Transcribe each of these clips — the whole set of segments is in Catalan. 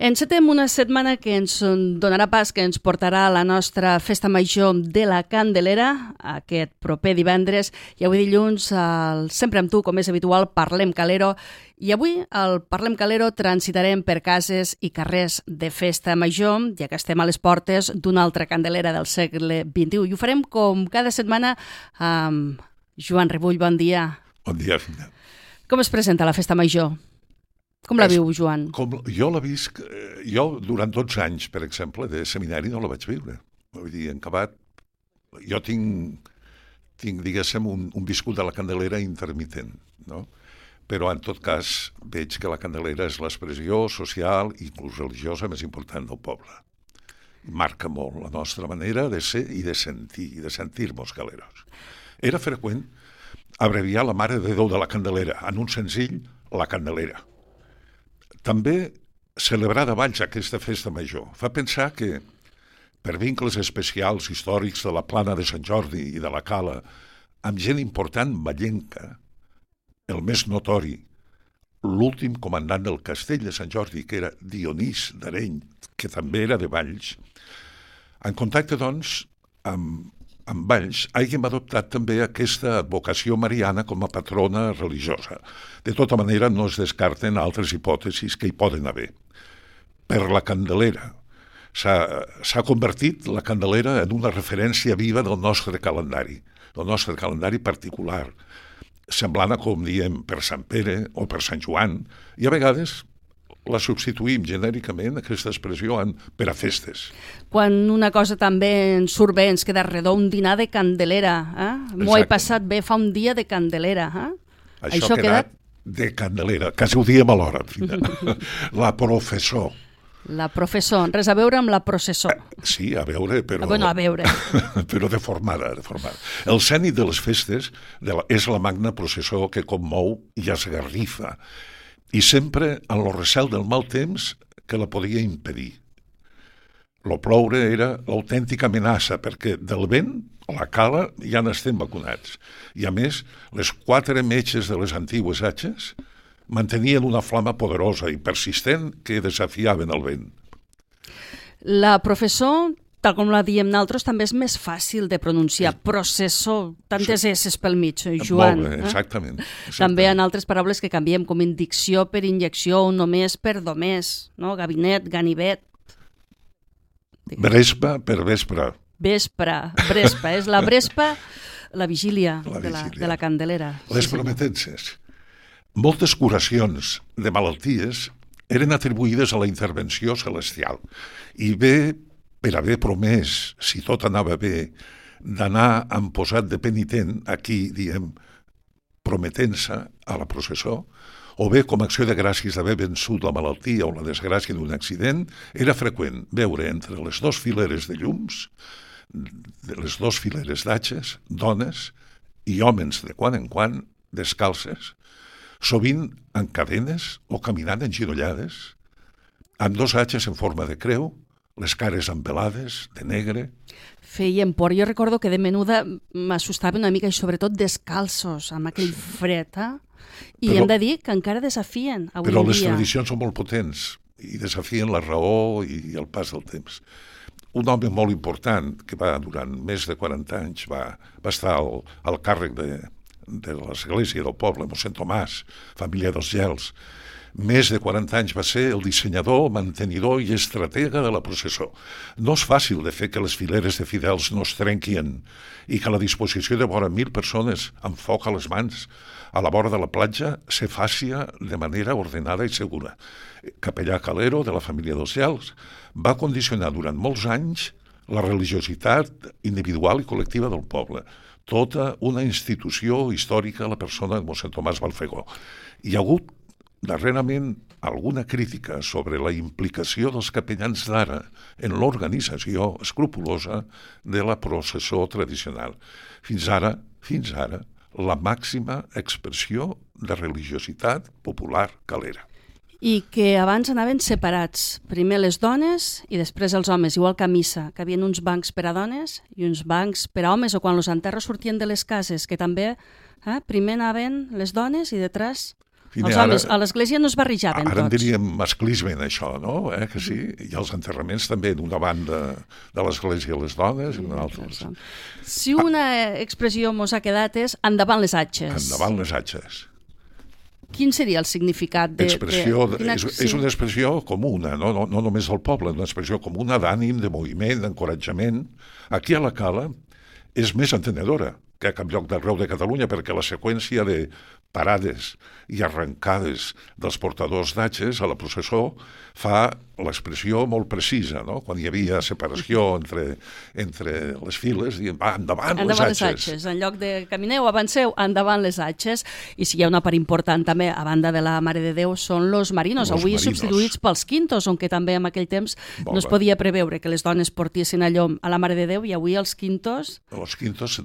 Encetem una setmana que ens donarà pas, que ens portarà a la nostra festa major de la Candelera, aquest proper divendres, i avui dilluns, sempre amb tu, com és habitual, Parlem Calero, i avui al Parlem Calero transitarem per cases i carrers de festa major, ja que estem a les portes d'una altra Candelera del segle XXI, i ho farem com cada setmana amb Joan Rebull. Bon dia. Bon dia, Fina. Com es presenta la festa major? Com la viu, Joan? Jo la visc... Jo, durant 12 anys, per exemple, de seminari no la vaig viure. Vull dir, en acabat... Jo tinc diguéssim, un viscut de la Candelera intermitent, no? Però, en tot cas, veig que la Candelera és l'expressió social i inclús religiosa més important del poble. Marca molt la nostra manera de ser i de sentir-nos caleros. Era freqüent abreviar la Mare de Déu de la Candelera en un senzill, la Candelera. També celebrar de Valls aquesta festa major fa pensar que, per vincles especials històrics de la Plana de Sant Jordi i de la Cala, amb gent important vallenca, el més notori, l'últim comandant del castell de Sant Jordi, que era Dionís d'Areny, que també era de Valls, en contacte, doncs, amb Valls, hàgim adoptat també aquesta advocació mariana com a patrona religiosa. De tota manera, no es descarten altres hipòtesis que hi poden haver. Per la Candelera. S'ha convertit la Candelera en una referència viva del nostre calendari particular, semblant a com diem per Sant Pere o per Sant Joan, i a vegades la substituïm genèricament, aquesta expressió, per a festes. Quan una cosa també ens surt bé, ens queda redó, un dinar de Candelera. M'ho he passat bé, fa un dia de Candelera. Això ha quedat de Candelera, quasi ho diem alhora. La professor. La professor, res a veure amb la processó. Sí, a veure, però... Bueno, a veure. Però deformada. El cènit de les festes és la magna processó que commou i esgarrifa, i sempre en el recel del mal temps que la podia impedir. Lo ploure era l'autèntica amenaça, perquè del vent, a la cala, ja n'estem vacunats. I a més, les 4 metges de les antigues atxes mantenien una flama poderosa i persistent que desafiaven el vent. La professor, tal com la diem nosaltres, també és més fàcil de pronunciar. Processó, tantes esses pel mig, Joan. Molt bé, exactament. També en altres paraules que canviem, com indicció per injecció o només per domés, no? Gabinet, ganivet. Brespa per vespre. Brespa, és la brespa, la vigília de la Candelera. Les prometences. Moltes curacions de malalties eren atribuïdes a la intervenció celestial i bé per haver promès, si tot anava bé, d'anar amb posat de penitent, aquí diem prometent-se a la processó, o bé com a acció de gràcies d'haver vençut la malaltia o la desgràcia d'un accident, era freqüent veure entre les 2 fileres de llums, les 2 fileres d'atxes, dones i homes de quan en quan descalces, sovint en cadenes o caminant enginollades, amb 2 atxes en forma de creu, les cares empelades, de negre. Feien por. Jo recordo que de menuda m'assustava una mica i sobretot descalços, amb aquell fred. I hem de dir que encara desafien avui dia. Però les tradicions són molt potents i desafien la raó i el pas del temps. Un home molt important que durant més de 40 anys va estar al càrrec de l'església del poble, mossèn Tomàs, família dels Gels. Més de 40 anys va ser el dissenyador, mantenidor i estratega de la processó. No és fàcil de fer que les fileres de fidels no es trenquin i que la disposició de vora 1.000 persones amb foc a les mans a la vora de la platja se faci de manera ordenada i segura. Capellà Calero, de la família dels Gels, va condicionar durant molts anys la religiositat individual i col·lectiva del poble. Tota una institució històrica a la persona de mossèn Tomàs Balfegó. Hi ha hagut darrerament alguna crítica sobre la implicació dels capellans d'ara en l'organització escrupulosa de la processó tradicional. Fins ara, la màxima expressió de religiositat popular calera. I que abans anaven separats, primer les dones i després els homes, igual que a missa, que havien uns bancs per a dones i uns bancs per a homes, o quan els enterros sortien de les cases, que també primer anaven les dones i detrás Els homes a l'església no es barrejaven tots. Ara en diríem masclisme en això, no? Que sí? I els enterraments també, d'una banda de l'església les dones i una altra. Si una expressió mos ha quedat és endavant les atxes. Endavant les atxes. Quin seria el significat de... És una expressió comuna, no només del poble, una expressió comuna d'ànim, de moviment, d'encoratjament. Aquí a la Cala és més entenedora que a cap lloc d'arreu de Catalunya, perquè la seqüència de parades i arrencades dels portadors d'atxes a la processó fa l'expressió molt precisa, no? Quan hi havia separació entre les files, dient, va, endavant les atxes. En lloc de camineu, avanceu, endavant les atxes. I si hi ha una part important també, a banda de la Mare de Déu, són los marinos, avui substituïts pels quintos, on que també en aquell temps no es podia preveure que les dones portissin a llom a la Mare de Déu, i avui els quintos... Els quintos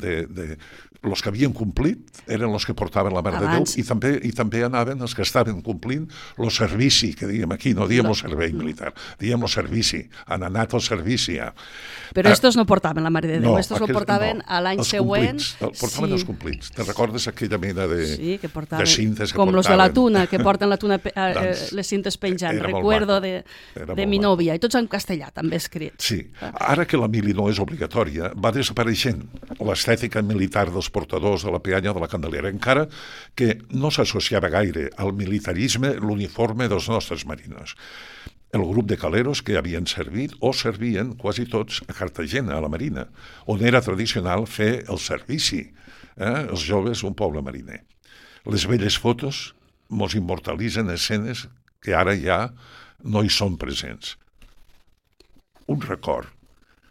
los que havien complit eren els que portaven la Mare de Déu, i també anaven els que estaven complint el servici, que diem aquí, no diem el servei militar, diem el servici, han anat al servici ja. Però estos no portaven la Mare de Déu, estos lo portaven a l'any següent. Portaven els complits. Te recordes aquella mena de cintes que portaven? Com los de la tuna, que porten la tuna, les cintes penjant, recuerdo de mi nòvia, i tots en castellà, també escrits. Sí, ara que la mili no és obligatòria, va desapareixent l'estètica militar dels portadors de la peanya de la Candelera, encara que no s'associava gaire al militarisme l'uniforme dels nostres marinos. El grup de caleros que havien servit o servien quasi tots a Cartagena, a la Marina, on era tradicional fer el servici, els joves d'un poble mariner. Les velles fotos mos immortalitzen escenes que ara ja no hi són presents. Un record.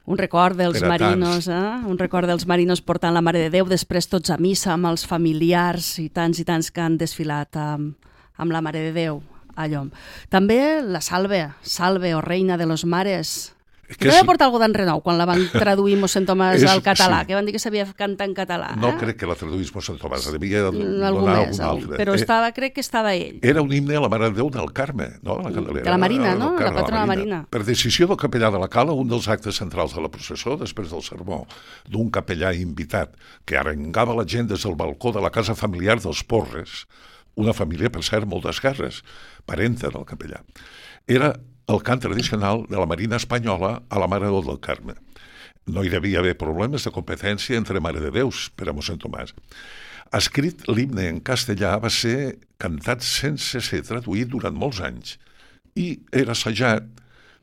Un record dels marinos, un record dels marinos portant la Mare de Déu, després tots a missa amb els familiars i tants que han desfilat amb la Mare de Déu a llom. També la Salve o Reina de los Mares, que va portar algo d'en Renou quan la van traduir mossèn Tomàs al català, que van dir que sabia cantar en català. No crec que la traduís mossèn Tomàs, devia donar algun altre. Però crec que estava ell. Era un himne a la Mare de Déu del Carme, no? La Candelera. De la Marina, no? La patrona Marina. Per decisió del capellà de la Cala, un dels actes centrals de la processó, després del sermó, d'un capellà invitat que arengava la gent des del balcó de la casa familiar dels Porres, una família, per cert, molt d'esquerres, parenta del capellà. Era el cant tradicional de la Marina espanyola a la Mare de Déu del Carme. No hi devia haver problemes de competència entre Mare de Déus per a mossèn Tomàs. Escrit l'himne en castellà, va ser cantat sense ser traduït durant molts anys i era assajat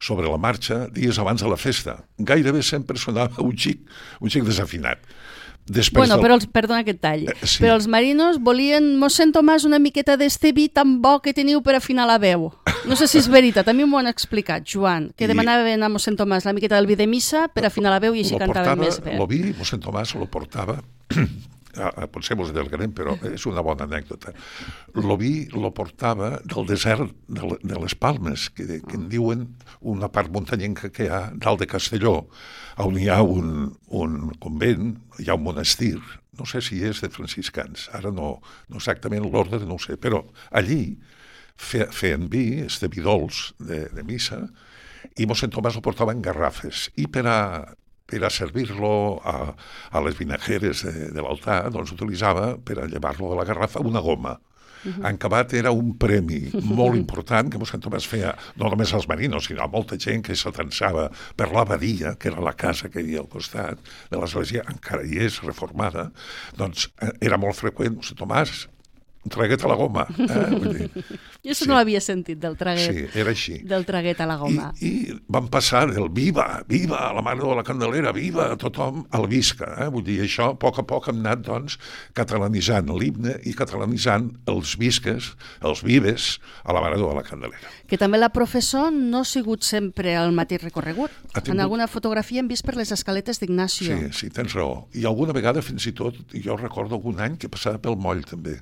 sobre la marxa dies abans de la festa. Gairebé sempre sonava un xic desafinat. Perdona aquest tall, però els marinos volien mossèn Tomàs una miqueta d'este vi tan bo que teniu per afinar la veu. No sé si és veritat, a mi m'ho han explicat, Joan, que demanaven a mossèn Tomàs la miqueta del vi de missa per afinar la veu i així cantaven més bé. El vi, mossèn Tomàs lo portava, potser mos allargarem, però és una bona anècdota. El vi lo portava del desert de les Palmes, que en diuen una part muntanyenca que hi ha dalt de Castelló, on hi ha un convent, hi ha un monestir, no sé si és de franciscans, ara no exactament l'ordre, no ho sé, però allí feien vi, vi dolç de missa, i mossèn Tomàs ho portava en garrafes, i per a servir-lo a les vinajeres de l'altar, doncs utilitzava, per a llevar-lo de la garrafa, una goma. En acabat era un premi molt important que mossèn Tomàs feia, no només als marinos, sinó a molta gent que s'atansava per l'abadia, que era la casa que hi havia al costat de l'església, encara hi és, reformada, doncs era molt freqüent, mossèn Tomàs, traguet a la goma. Jo això no l'havia sentit, del traguet. Sí, era així. Del traguet a la goma. I van passar del viva, la Mare de la Candelera, viva, tothom, al visca. Vull dir, això a poc hem anat, doncs, catalanitzant l'himne i catalanitzant els visques, els vives, a la Mare de la Candelera. Que també la professó no ha sigut sempre el mateix recorregut. En alguna fotografia hem vist per les escaletes d'Ignacio. Sí, tens raó. I alguna vegada, fins i tot, jo recordo algun any que passava pel moll, també.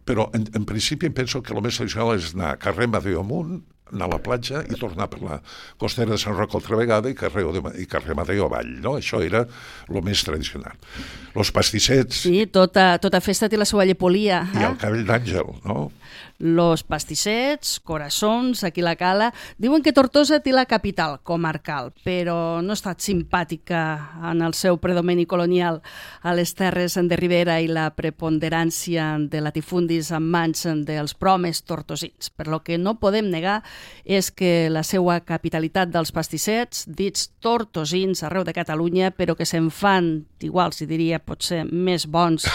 Però en principi em penso que el més tradicional és anar a carrer Madeo amunt, anar a la platja i tornar per la costera de Sant Roc altra vegada i carrer Madeo avall, no? Això era el més tradicional. Los pastissets... Sí, tota festa té la seva llepolia. I el cabell d'àngel, no? Los pastissets, coraçons, aquí la cala. Diuen que Tortosa té la capital comarcal, però no ha estat simpàtica en el seu predomini colonial a les terres de Ribera i la preponderància de latifundis en mans dels promes tortosins. Per lo que no podem negar és que la seva capitalitat dels pastissets, dits tortosins arreu de Catalunya, però que se'n fan, igual si diria potser més bons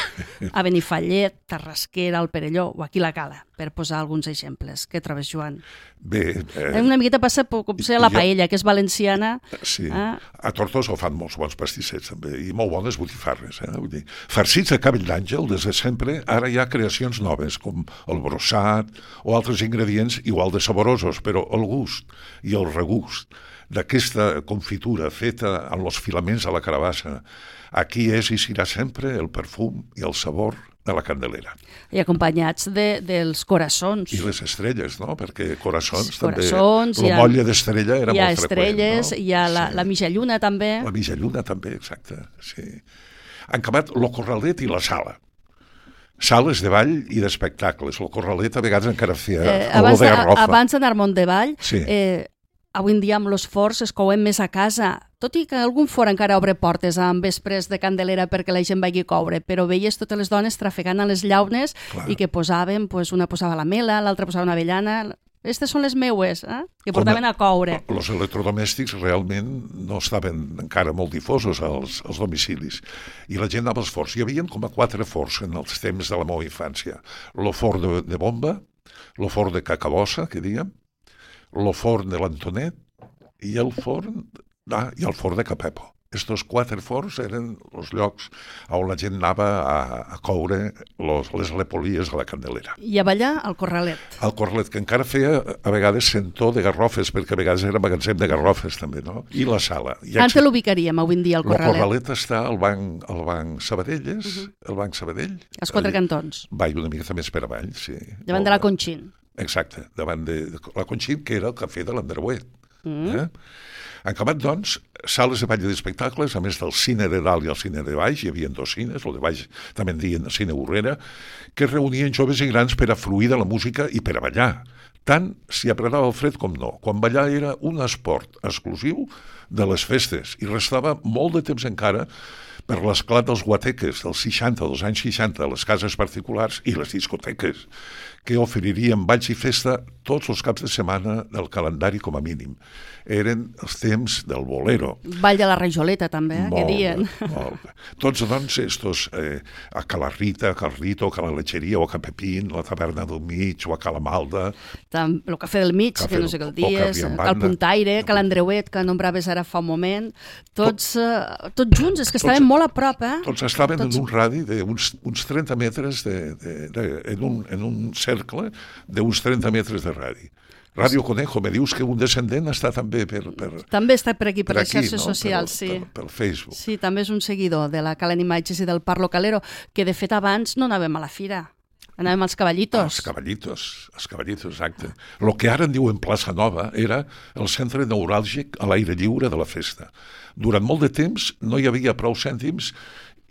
a Benifallet, Tarrasquera, al Perelló o aquí la Cala, per posar alguns exemples. Què trobes, Joan? Bé... Una miqueta passa com ser la paella, que és valenciana. Sí, a Tortosa ho fan molts bons pastissets també, i molt bones botifarres. Vull dir, farcits de cabell d'àngel, des de sempre, ara hi ha creacions noves, com el brossat o altres ingredients igual de saborosos, però el gust i el regust d'aquesta confitura feta amb els filaments de la carabassa, aquí és i serà sempre el perfum i el sabor de la Candelera. I acompanyats dels coraçons. I les estrelles, no? Perquè coraçons també... Coraçons, la molla d'estrella era molt freqüent. Hi ha estrelles, no? Hi ha la mitjalluna també. La mitjalluna també, exacte, sí. Han acabat el corralet i la sala. Sales de ball i d'espectacles. El corralet a vegades encara feia olor de garrofa. Abans d'anar Mont de Vall, sí. Avui en dia amb els forns es couen més a casa, tot i que algun forn encara obre portes en vespres de Candelera perquè la gent vagi a coure, però veies totes les dones trafegant a les llaunes. Clar. I que posaven, una posava la mela, l'altra posava una avellana. Aquestes són les meues, que portaven a coure. Els electrodomèstics realment no estaven encara molt difosos als domicilis. I la gent anava als forns. Hi havia com a 4 forns en els temps de la meva infància. El forn de bomba, el forn de cacabossa, que diguem, el forn de l'Antonet i el forn de Capepo. Estos 4 forns eren els llocs on la gent anava a coure les lepolies de la Candelera. I a ballar al corralet. Al corralet, que encara feia a vegades sentor de garrofes, perquè a vegades era magatzem de garrofes també, no? I la sala. On te l'ubicaríem avui en dia, el corralet? El corralet està al banc Sabadelles, el banc Sabadell. Els 4 cantons. Va una mica més per avall, sí. Davant de la Conxín. Exacte, davant de la Conxín, que era el cafè de l'Andreuet. Han acabat, doncs, sales de ball i d'espectacles, a més del cine de dalt i el cine de baix, hi havia 2 cines, el de baix també en diuen cine Borrera, que reunien joves i grans per a fruir de la música i per a ballar. Tant si apretava el fred com no. Quan ballar era un esport exclusiu de les festes i restava molt de temps encara per l'esclat dels guateques dels 60, dels anys 60, les cases particulars i les discoteques, que oferirien balls i festa tots els caps de setmana del calendari com a mínim. Eren els temps del bolero. Ball de la Rajoleta també, que dien. Molt bé. Tots, doncs, estos, a Cala Rita, a Cal Rito, a Cala Letxeria, o a Capepín, la taverna del mig, o a Cala Malda. El cafè del mig, que no sé què el dies, Cal Puntaire, Cal Andreuet, que nombraves ara fa un moment. Tots junts, és que estaven molt a prop, Tots estaven en un radi d'uns 30 metres, en un cercle d'uns 30 metres de radi. Ràdio Conejo, me dius que un descendent està també També està per aquí, per les xarxes socials, sí. Per Facebook. Sí, també és un seguidor de la Calen Imatges i del Parlo Calero, que de fet abans no anàvem a la fira. Anàvem als cavallitos. Els cavallitos, exacte. El que ara en diuen Plaça Nova era el centre neuràlgic a l'aire lliure de la festa. Durant molt de temps no hi havia prou cèntims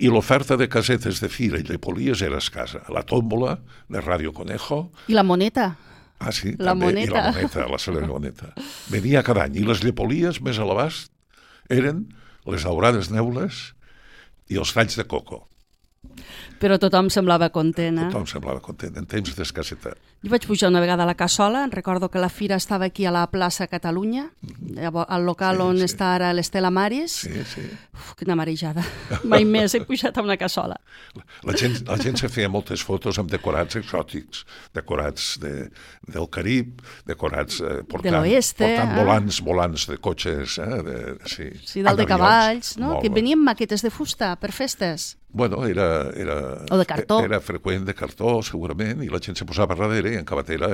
i l'oferta de casetes de fira i lepolies era escassa. La tòmbola de Ràdio Conejo. I la moneta. Ah, sí, la també. Moneta. I la moneta, la cèlebre moneta. Venia cada any. I les llepolies més a l'abast eren les daurades neules i els talls de coco. Però tothom semblava content, Tothom semblava content, en temps d'escassetat. Jo vaig pujar una vegada a la Cassola, recordo que la fira estava aquí a la plaça Catalunya, al local on està ara l'Estela Maris. Sí. Quina marejada. Mai més he pujat a una cassola. La gent se feia moltes fotos amb decorats exòtics, decorats del Carib, decorats portant volants de cotxes, sí, dalt de cavalls, no? Que venien maquetes de fusta per festes. Bueno, o de cartó. Era freqüent de cartó, segurament, i la gent se posava darrere i en acabat era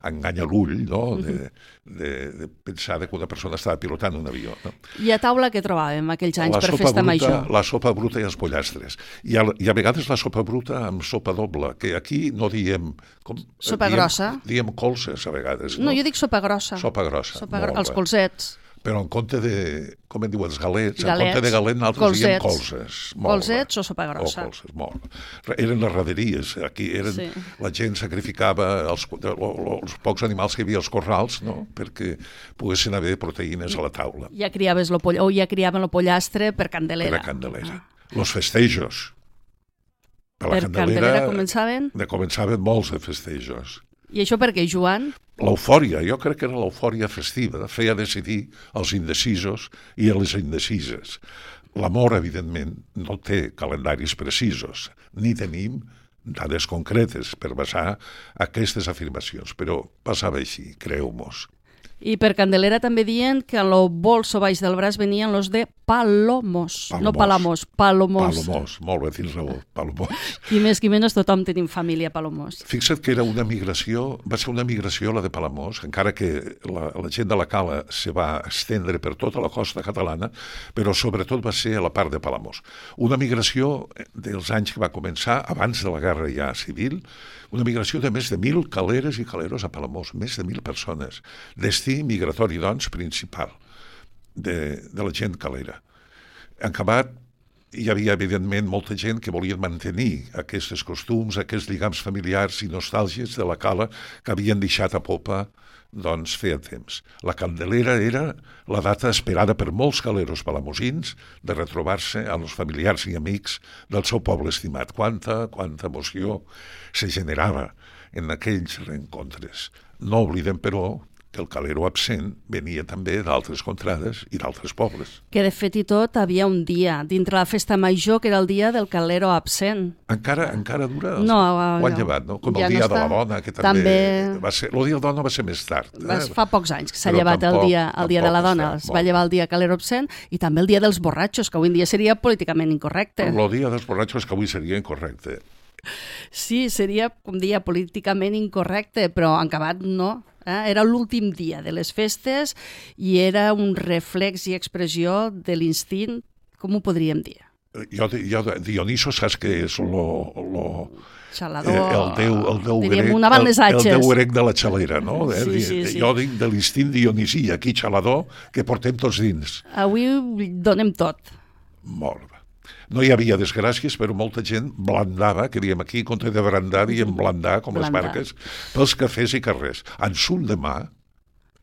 engany a l'ull, no? De pensar que una persona estava pilotant un avió. No? I a taula què trobàvem aquells anys per festa major? La sopa bruta i els pollastres. I a vegades la sopa bruta amb sopa doble, que aquí no diem... Sopa grossa? Diem colzes, a vegades. No, jo dic sopa grossa. Sopa grossa. Els colzets. Però en compte de, com en diuen, els galets, en compte de galet nosaltres diem colzes. Colzets o sopa grossa. O colzes, molt. Eren les raderies, aquí la gent sacrificava els pocs animals que hi havia als corrals, no?, perquè poguessin haver proteïnes a la taula. Ja criaves ja criaven el pollastre per Candelera. Per a Candelera. Los festejos. Per Candelera començaven? Començaven molts de festejos. I això per què, Joan? L'eufòria, jo crec que era l'eufòria festiva, feia decidir els indecisos i les indecises. L'amor, evidentment, no té calendaris precisos, ni tenim dades concretes per basar aquestes afirmacions, però passava així, creu-mos. I per Candelera també diuen que en el bolso baix del braç venien los de palomos. No palamos, palomos. Palomos, molt bé, tens raó, palomos. Qui més qui menys tothom tenim família palomos. Fixa't que era una migració, va ser una migració la de Palamós, encara que la gent de la Cala se va estendre per tota la costa catalana, però sobretot va ser a la part de Palamós. Una migració dels anys que va començar, abans de la guerra ja civil, una migració de més de 1.000 caleres i caleros a Palamós, més de 1.000 persones. Destí migratori, doncs, principal de la gent calera. En acabat, hi havia, evidentment, molta gent que volia mantenir aquests costums, aquests lligams familiars i nostàlgies de la Cala que havien deixat a popa, doncs, feia temps. La Candelera era la data esperada per molts caleros palamosins de retrobar-se amb els familiars i amics del seu poble estimat. Quanta emoció se generava en aquells reencontres. No oblidem, però, que el calero absent venia també d'altres contrades i d'altres pobles. Que de fet i tot havia un dia dintre la festa major que era el dia del calero absent. Encara dura? No, ho han llevat, no? Com ja el dia de la dona, que també va ser... El dia de la dona va ser més tard. Fa pocs anys que s'ha llevat el dia de la dona. Es va llevar el dia calero absent i també el dia dels borratxos, que avui en dia seria políticament incorrecte. El dia dels borratxos que avui seria incorrecte. Sí, seria, com dia, políticament incorrecte, però en acabat no. Era l'últim dia de les festes i era un reflex i expressió de l'instint, com ho podríem dir? Dioniso, saps que és xalador, el déu grec, el déu grec de la xalera, no? Sí. Jo dic de l'instint dionisí, aquí xalador, que portem tots dins. Avui donem tot. Molt bé. No hi havia desgràcies, però molta gent blandava, que diem aquí, contra de brandar, diem blandar, com les marques, pels cafès i carrers. En son demà,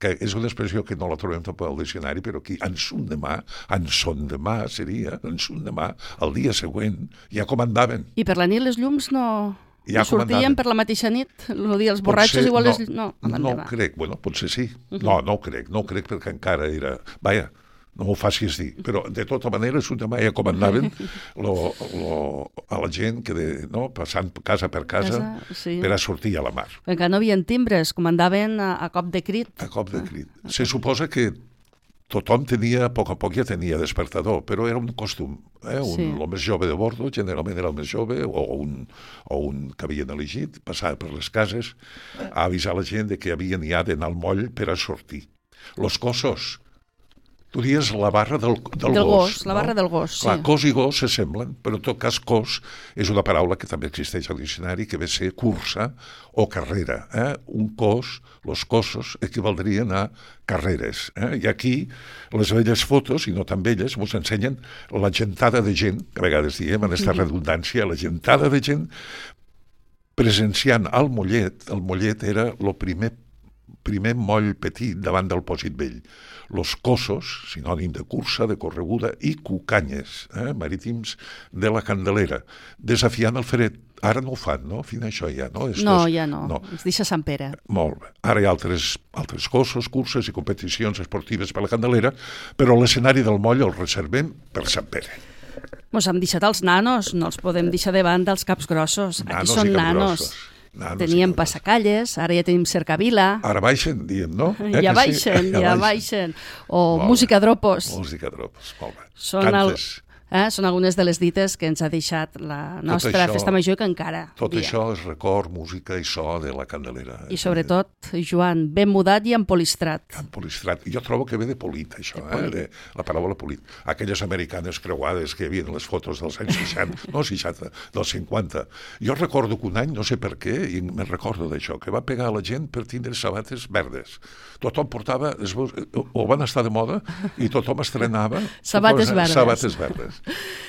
que és una expressió que no la trobem tampoc al diccionari, però aquí, en son demà seria, en son demà, el dia següent, ja comandaven. I per la nit les llums no sortien per la mateixa nit? El dia dels borratxos igual és... No crec, bueno, potser sí. No ho crec perquè encara era... Vaja, no m'ho facis dir, però de tota manera és un demà ja comandaven a la gent que passant casa per casa per a sortir a la mar. Perquè no hi havia timbres, comandaven a cop de crit. A cop de crit. Se suposa que tothom tenia, a poc ja tenia despertador, però era un costum. El més jove de bordo, generalment era el més jove, o un que havien elegit, passava per les cases a avisar la gent que havien ja d'anar al moll per a sortir. Los cosos. Tu dius la barra del gos. La barra del gos, sí. Clar, cos i gos s'assemblen, però en tot cas cos és una paraula que també existeix al diccionari, que ve ser cursa o carrera. Un cos, los cosos, equivaldrien a carreres. I aquí les velles fotos, i no tan velles, ens ensenyen la gentada de gent, que a vegades diem en aquesta redundància, la gentada de gent presenciant el mollet. El mollet era el primer moll petit davant del pòsit vell. Los cosos, sinònim de cursa, de correguda, i cucanyes, marítims de la Candelera, desafiant el fred. Ara no ho fan, no? Fins això ja, no? Ja no. Es deixa Sant Pere. Molt bé. Ara hi ha altres cosos, curses i competicions esportives per la Candelera, però l'escenari del moll el reservem per Sant Pere. Mos hem deixat els nanos, no els podem deixar de banda els caps grossos. Aquí són nanos. Teníem passacalles, ara ja tenim cercavila. Ara baixen, diem, no? Ja baixen. O música dropos. Música dropos, molt bé. Són Són algunes de les dites que ens ha deixat la nostra festa major que encara Tot això és record, música i so de la Candelera. I sobretot, Joan, ben mudat i empolistrat. Empolistrat. Jo trobo que ve de polit, això, de la paraula polit. Aquelles americanes creuades que hi havia en les fotos dels anys 60, no 60, dels 50. Jo recordo que un any, no sé per què, i me'n recordo d'això, que va pegar a la gent per tindre sabates verdes. Tothom portava, o van estar de moda, i tothom estrenava sabates verdes.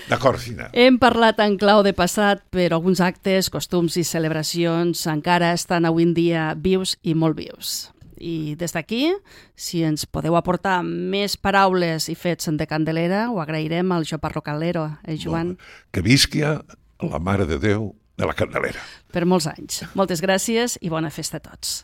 D'acord, Fina. Hem parlat en clau de passat, però alguns actes, costums i celebracions encara estan avui en dia vius i molt vius. I des d'aquí, si ens podeu aportar més paraules i fets de Candelera, ho agrairem al Jo Parrocalero, Joan? Que visquia la Mare de Déu de la Candelera. Per molts anys. Moltes gràcies i bona festa a tots.